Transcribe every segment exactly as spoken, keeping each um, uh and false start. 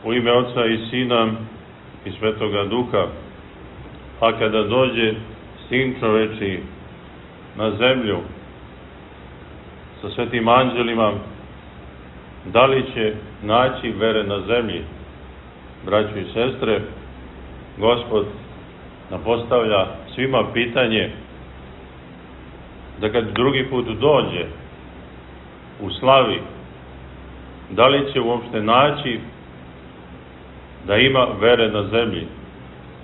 U ime Oca i Sina i Svetoga Duha. A kada dođe Sin čoveči na zemlju sa svetim anđelima, da li će naći vere na zemlji? Braćo i sestre, Gospod nam postavlja svima pitanje da kad drugi put dođe u slavi, da li će uopšte naći da ima vere na zemlji?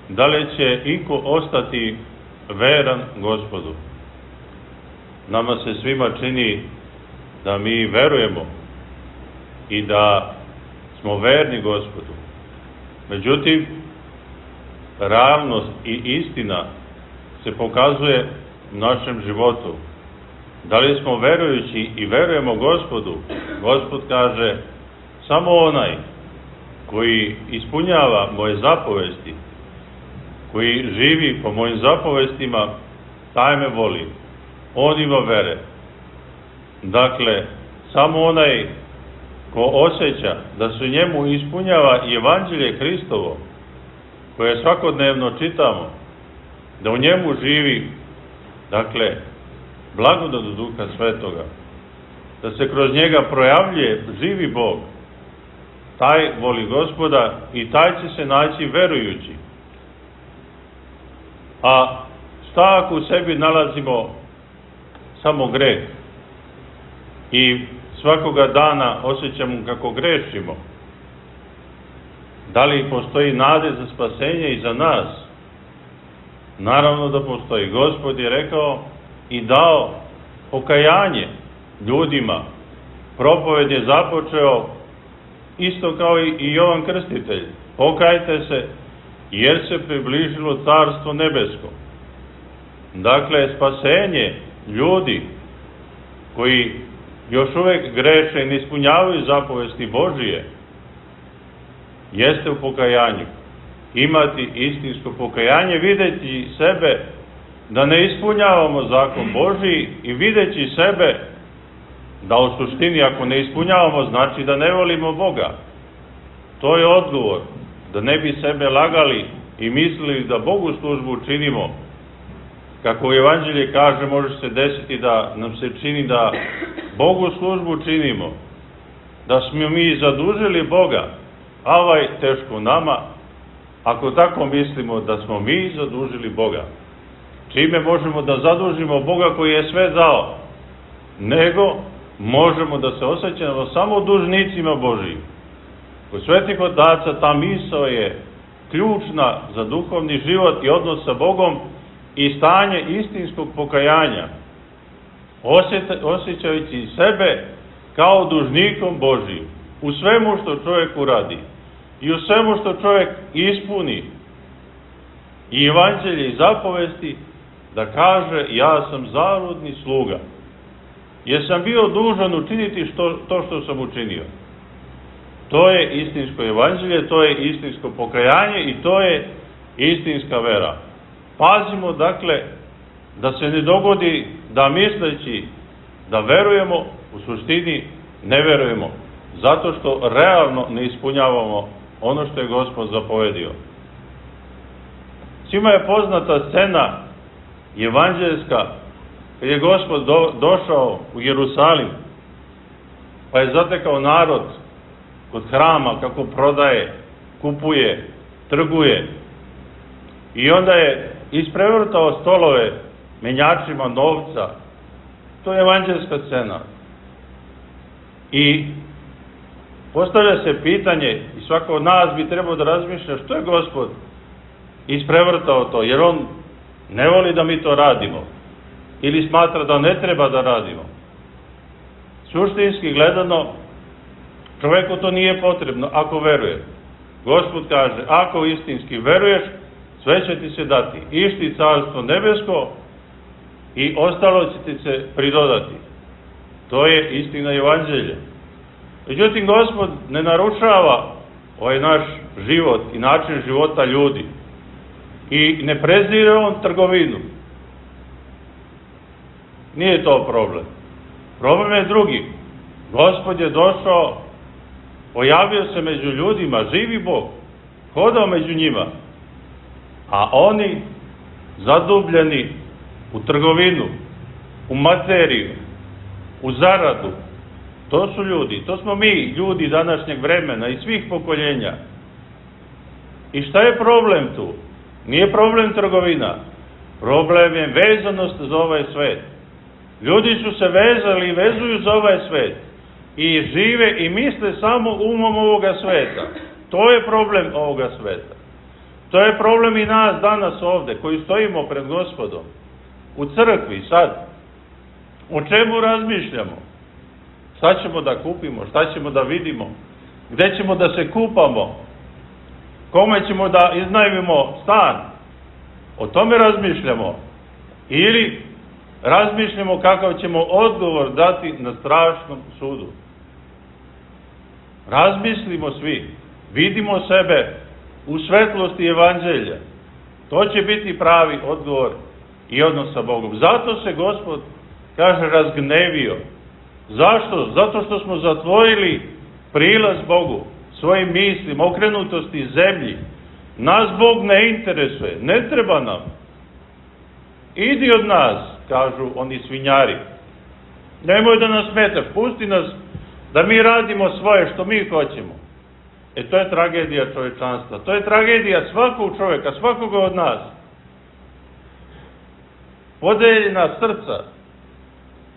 Da li će iko ostati veran Gospodu? Nama se svima čini da mi verujemo i da smo verni Gospodu. Međutim, realnost i istina se pokazuje u našem životu. Da li smo verujući i verujemo Gospodu? Gospod kaže, samo onaj koji ispunjava moje zapovesti, koji živi po mojim zapovestima, taj me voli. On ima vere. Dakle, samo onaj ko osjeća da se njemu ispunjava evanđelje Hristovo, koje svakodnevno čitamo, da u njemu živi, dakle, blagodat Duha Svetoga, da se kroz njega projavljuje živi Bog, taj voli Gospoda i taj će se naći verujući. A šta ako u sebi nalazimo samo greh i svakoga dana osjećamo kako grešimo? Da li postoji nade za spasenje i za nas? Naravno da postoji. Gospod je rekao i dao pokajanje ljudima. Propoved je započeo isto kao i Jovan Krstitelj. Pokajte se, jer se približilo Carstvo nebesko. Dakle, spasenje ljudi koji još uvek greše i ne ispunjavaju zapovesti Božije, jeste u pokajanju. Imati istinsko pokajanje, videći sebe da ne ispunjavamo zakon Božiji i videći sebe da u suštini ako ne ispunjavamo znači da ne volimo Boga. To je odgovor. Da ne bi sebe lagali i mislili da Bogu službu činimo. Kako u Evanđelje kaže, može se desiti da nam se čini da Bogu službu činimo, da smo mi zadužili Boga, a ovaj teško nama, ako tako mislimo da smo mi zadužili Boga. Čime možemo da zadužimo Boga koji je sve dao? Nego možemo da se osjećamo samo dužnicima Božijim. Kod svetih otaca ta misao je ključna za duhovni život i odnos sa Bogom i stanje istinskog pokajanja, osjećajući sebe kao dužnikom Božijim u svemu što čovjek uradi i u svemu što čovjek ispuni i evanđelje i zapovesti, da kaže, ja sam zarudni sluga, jer sam bio dužan učiniti što, to što sam učinio. To je istinsko evanđelje, to je istinsko pokajanje i to je istinska vera. Pazimo, dakle, da se ne dogodi da misleći da verujemo, u suštini ne verujemo, zato što realno ne ispunjavamo ono što je Gospod zapovedio. Svima je poznata scena evanđeljska, kad je Gospod do, došao u Jerusalim, pa je zatekao narod kod hrama kako prodaje, kupuje, trguje, i onda je isprevrtao stolove menjačima novca. To je evanđelska scena. I postavlja se pitanje, i svako od nas bi trebao da razmišlja, što je Gospod isprevrtao to, jer on ne voli da mi to radimo ili smatra da ne treba da radimo. Suštinski gledano, čoveku to nije potrebno ako veruje. Gospod kaže, ako istinski veruješ, sve će ti se dati, išti Carstvo nebesko i ostalo će ti se pridodati. To je istina evanđelja. Međutim, Gospod ne narušava ovaj naš život i način života ljudi i ne prezire on trgovinu. Nije to problem. Problem je drugi. Gospod je došao pojavio se među ljudima, živi Bog, hodao među njima, a oni zadubljeni u trgovinu, u materiju, u zaradu. To su ljudi, to smo mi, ljudi današnjeg vremena i svih pokoljenja. I šta je problem tu? Nije problem trgovina, problem je vezanost za ovaj svet. Ljudi su se vezali i vezuju za ovaj svet i žive i misle samo umom ovoga sveta. To je problem ovoga sveta. To je problem i nas danas ovde, koji stojimo pred Gospodom, u crkvi sad. O čemu razmišljamo? Šta ćemo da kupimo? Šta ćemo da vidimo? Gde ćemo da se kupamo? Kome ćemo da iznajmimo stan? O tome razmišljamo. Ili razmišljamo kakav ćemo odgovor dati na strašnom sudu. Razmislimo svi. Vidimo sebe u svetlosti evanđelja. To će biti pravi odgovor i odnos sa Bogom. Zato se Gospod, kaže, razgnevio. Zašto? Zato što smo zatvorili prilaz Bogu, svojim mislima, okrenutosti zemlji. Nas Bog ne interesuje, ne treba nam. Idi od nas, kažu oni svinjari. Nemoj da nas smetaš, pusti nas da mi radimo svoje što mi hoćemo. E to je tragedija čovečanstva, to je tragedija svakog čoveka, svakoga od nas. Podeljena srca,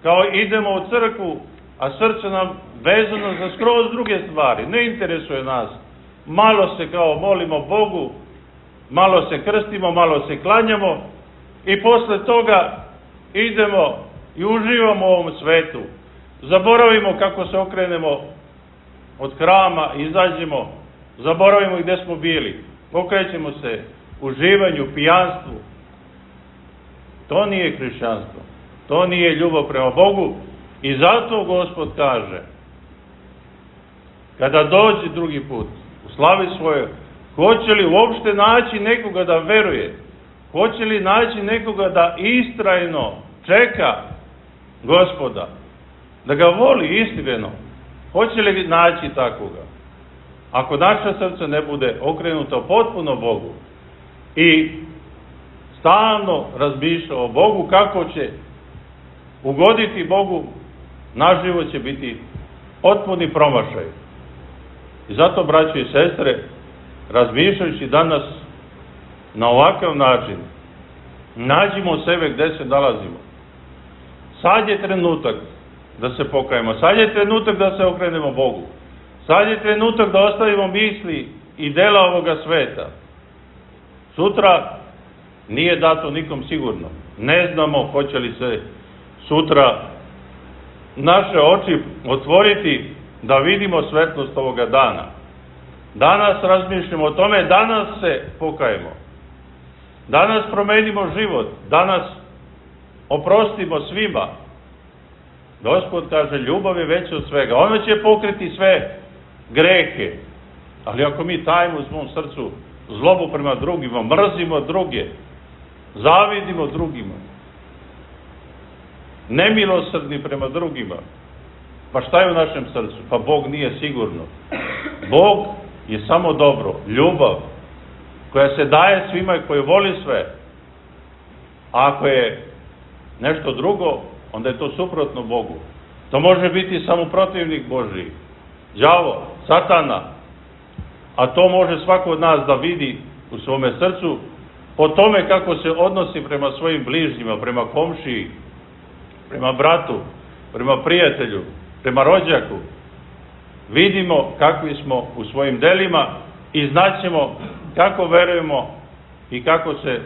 kao idemo u crkvu, a srce nam vezano za skroz druge stvari, ne interesuje nas. Malo se kao molimo Bogu, malo se krstimo, malo se klanjamo i posle toga idemo i uživamo u ovom svetu. Zaboravimo kako se okrenemo od hrama, izađemo, zaboravimo gde smo bili, okrećemo se uživanju, pijanstvu. To nije hrišćanstvo, to nije ljubav prema Bogu i zato Gospod kaže, kada dođe drugi put u slavi svoje, hoće li uopšte naći nekoga da veruje, hoće li naći nekoga da istrajno čeka Gospoda, da ga voli iskreno, hoće li naći takoga? Ako naše srce ne bude okrenuto potpuno Bogu i stalno razmišlja o Bogu, kako će ugoditi Bogu, naš život će biti potpuni promašaj. I zato, braćo i sestre, razmišljajući danas na ovakav način, nađimo sebe gde se nalazimo. Sad je trenutak da se pokajemo, sad je trenutak da se okrenemo Bogu, sad je trenutak da ostavimo misli i dela ovoga sveta. Sutra nije dato nikom sigurno. Ne znamo hoće li se sutra naše oči otvoriti da vidimo svetlost ovoga dana. Danas razmišljamo o tome, danas se pokajemo. Danas promenimo život, danas oprostimo svima. Gospod kaže, ljubav je veća od svega. Ona će pokriti sve grehe. Ali ako mi tajimo u svom srcu zlobu prema drugima, mrzimo druge, zavidimo drugima, nemilosrdni prema drugima, pa šta je u našem srcu? Pa Bog nije sigurno. Bog je samo dobro, ljubav, koja se daje svima i koji voli sve. A ako je nešto drugo, onda je to suprotno Bogu. To može biti samo protivnik Božiji, đavo, satana, a to može svako od nas da vidi u svome srcu po tome kako se odnosi prema svojim bližnjima, prema komšiji, prema bratu, prema prijatelju, prema rođaku. Vidimo kakvi smo u svojim delima i znaćemo kako verujemo i kako se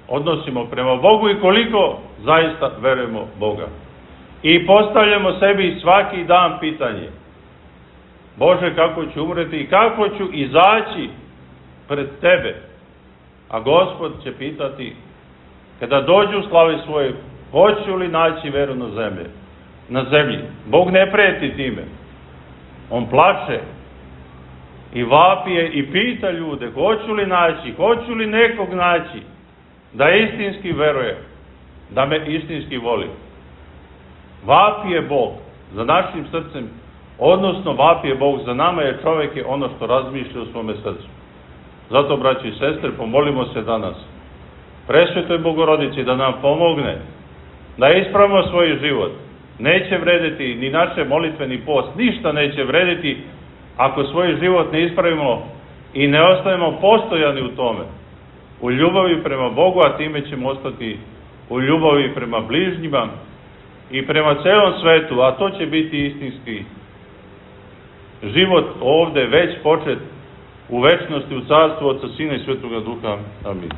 odnosimo prema Bogu i koliko zaista verujemo Boga. I postavljamo sebi svaki dan pitanje: Bože, kako ću umreti i kako ću izaći pred Tebe? A Gospod će pitati, kada dođu u slavi svoje, hoću li naći veru na zemlji? Na zemlji. Bog ne preti time. On plače i vapije i pita ljude, hoću li naći, hoću li nekog naći da istinski veruje, da me istinski voli. Vapije Bog za našim srcem odnosno vapije Bog za nama, jer čovjek je ono što razmišlja u svome srcu. Zato, braći i sestre, pomolimo se danas Presvetoj Bogorodici da nam pomogne da ispravimo svoj život. Neće vrediti ni naše molitve, ni post, ništa neće vrediti ako svoj život ne ispravimo i ne ostavimo postojani u tome, u ljubavi prema Bogu, a time ćemo ostati u ljubavi prema bližnjima i prema celom svetu, a to će biti istinski život ovde već počet u večnosti, u carstvu Otca, Sina i Svetoga Duha. Amin.